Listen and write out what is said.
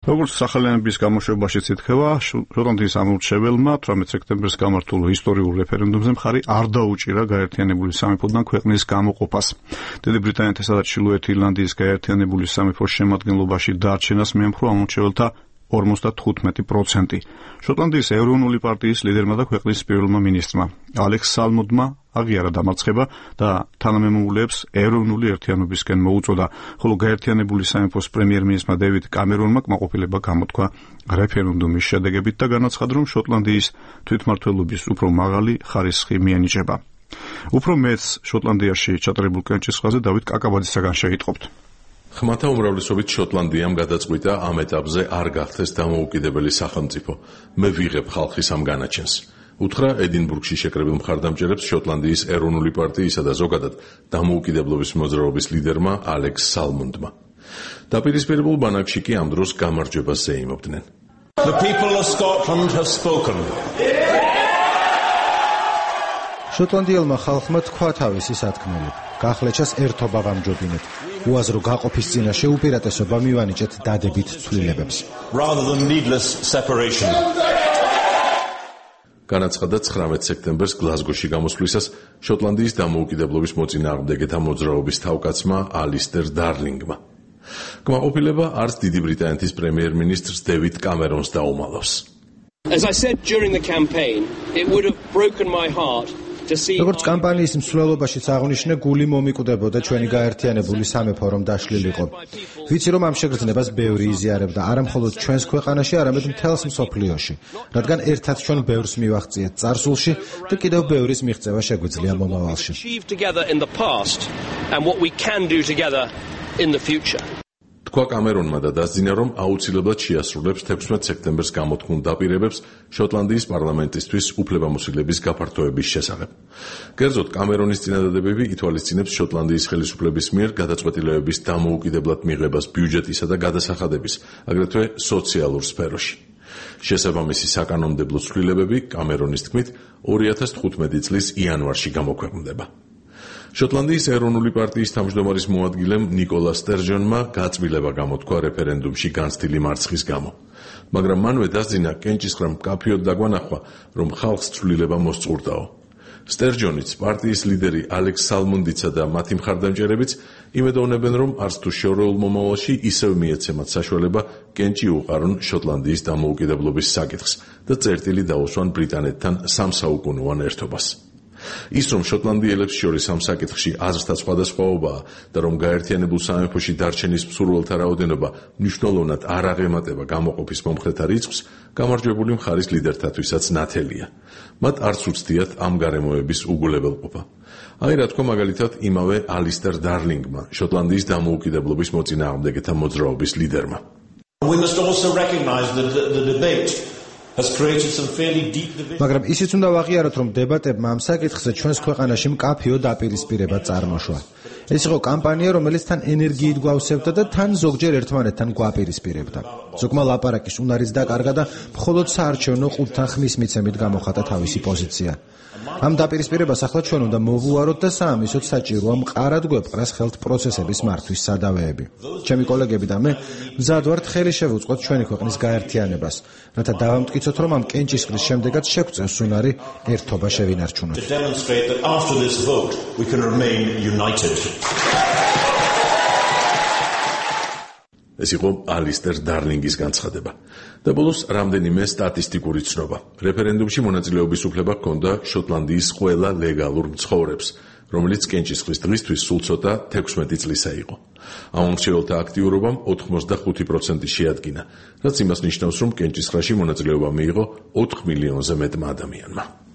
როგორც სახალხიანობის გამოშვებაში ითქვა, შოტლანდიის ამორჩეველმა 18 სექტემბერს გამართულ ისტორიულ რეფერენდუმზე მხარი არ დაუჭირა გაერთიანებული სამეფოდან ქვეყნის გამოყოფას. დიდი ბრიტანეთისა და ჩრდილოეთ ირლანდიის გაერთიანებული სამეფოს შემადგენლობაში დარჩენას მიემხრო ამორჩეველთა 55%. შოტლანდიის ეროვნული პარტიის ლიდერმა და ქვეყნის პირველმა მინისტრმა ალექს სალმონდმა აღიარა დამარცხება და თანამემამულეებს ეროვნული ერთიანობისკენ მოუწოდა, ხოლო გაერთიანებული სამეფოს პრემიერ-მინისტრმა დევიდ კამერონმა კმაყოფილება გამოთქვა რეფერენდუმის შედეგებით და განაცხადა, რომ შოტლანდიის თვითმმართველობის უფრო მაღალი ხარისხი მიენიჭება. უფრო მეც შოტლანდიაში ჩატარებულ კენჭისყრაზე დავით კაკაბაძისაგან შეიტყობთ. ხმათა უმრავლესობით შოტლანდიამ გადაწყვიტა ამ ეტაპზე არ გახდეს დამოუკიდებელი სახელმწიფო. მე ვიღებ ხალხის ამ განაჩენს. უთხრა ედინბურგში შეკრებილ მხარდამჭერებს შოტლანდიის ეროვნული პარტიისა და ზოგადად დამოუკიდებლობის მოძრაობის ლიდერმა ალექს სალმონდმა. დაპირისპირებულ ბანაკში კი ამ დროს გამარჯვებას ზეიმობდნენ. The people of Scotland have spoken. შოტლანდიელმა ხალხმა თქვა თავისი სათქმელი. გახლეჩას ერთობა ვამჯობინეთ. უაზრო გაყოფის წინაშე უპირატესობა მივანიჭეთ დადებით ცვლილებებს. Rather than needless separation. განაცხადა 19 სექტემბერს გლაზგოში გამოსვლისას შოტლანდიის დამოუკიდებლობის მოწინააღმდეგეთა მოძრაობის თავკაცმა ალისტერ დარლინგმა. კმაყოფილება არც დიდი ბრიტანეთის პრემიერ-მინისტრს დევიდ კამერონს დაუმალავს. As I said during the campaign, it would have broken my heart. როგორც კამპანიის მსვლელობაშიც აღნიშნე, გული მომიკვდებოდა ჩვენი გაერთიანებული სამეფო რომ დაშლილიყო. ვიცი რომ ამ შეგრძნებას ბევრი იზიარებდა, არა მხოლოდ ჩვენს ქვეყანაში, არამედ მთელს მსოფლიოში, რადგან ერთად ჩვენ ბევრს მივაღწიეთ წარსულში და კიდევ ბევრის მიღწევა შეგვიძლია მომავალში. თქვა კამერონმა და დასძინა, რომ აუცილებლად შეასრულებს 16 სექტემბერს გამოთქმულ დაპირებებს შოტლანდიის პარლამენტისთვის უფლებამოსილების გაფართოების შესახებ. კერძოდ, კამერონის წინადადებები ითვალისწინებს შოტლანდიის ხელისუფლების მიერ გადაწყვეტილებების დამოუკიდებლად მიღებას ბიუჯეტისა და გადასახადების, აგრეთვე სოციალურ სფეროში. შესაბამისი საკანონმდებლო ცვლილებები, კამერონის თქმით, 2015 წლის იანვარში გამოქვეყნდება. შოტლანდიის ეროვნული პარტიის თავმჯდომარის მოადგილემ ნიკოლა სტერჯონმა გაწმილება გამოთქვა რეფერენდუმში განცდილი მარცხის გამო. მაგრამ მანვე დასძინა კენჭისყრამ მკაფიოდ დაგვანახვა, რომ ხალხს ცვლილება მოსწურდაო. სტერჯონიც, პარტიის ლიდერი ალექს სალმონდიცა და მათი მხარდამჭერებიც იმედოვნებენ, რომ არც თუ შორეულ მომავალში ისევ მიეცემათ საშუალება კენჭი უყარონ შოტლანდიის დამოუკიდებლობის საკითხს და წერტილი დაუსვან ბრიტანეთთან სამსაუკუნოვან ერთობას. ის რომ შოტლანდიელებს შორის ამ საკითხში აზრთა სხვადასხვაობაა და რომ გაერთიანებულ სამეფოში დარჩენის მსურველთა რაოდენობა მნიშვნელოვნად არ აღემატება გამოყოფის მომხრეთა რიცხვს, გამარჯვებული მხარის ლიდერთათვისაც ნათელია. მათ არც უცდიათ ამ გარემოების უგულებელყოფა. აი რა თქვა მაგალითად იმავე ალისტერ დარლინგმა, შოტლანდიის დამოუკიდებლობის მოწინააღმდეგეთა მოძრაობის ლიდერმა. We must also recognize that the debate მაგრამ ისიც უნდა ვაღიაროთ, რომ დებატებმა ამ საკითხზე ჩვენს ქვეყანაში მკაფიო დაპირისპირება წარმოშვა. ეს იყო კამპანია, რომელიც თან ენერგიით გვავსებდა და თან ზოგჯერ ერთმანეთთან გვაპირისპირებდა. ზოგმა ლაპარაკის უნარიც დაკარგა და მხოლოდ საარჩევნო ყუთთან ხმის მიცემით გამოხატა თავისი პოზიცია. ამ დაპირისპირებას ახლა ჩვენ უნდა მოვუაროთ და საამისოდ საჭიროა მყარად გვეპყრას ხელთ პროცესების მართვის სადავეები. ჩემი კოლეგები და მე მზად ვართ ხელი შევუწყოთ ჩვენი ქვეყნის გაერთიანებას, რათა დავამტკიცოთ, რომ ამ კენჭისყრის შემდეგაც შეგვწევს უნარი ერთობა შევინარჩუნოთ. ეს იყო ალისტერ დარლინგის განცხადება. და ბოლოს რამდენიმე სტატისტიკური ცნობა. რეფერენდუმში მონაწილეობის უფლება ჰქონდა შოტლანდიის ყველა ლეგალურ მცხოვრებს, რომელიც კენჭისყრის დღისთვის სულ ცოტა 16 წლისა იყო. ამომრჩეველთა აქტიურობამ 85% შეადგინა, რაც იმას ნიშნავს, რომ კენჭისყრაში მონაწილეობა მიიღო 4 მილიონზე მეტმა ადამიანმა.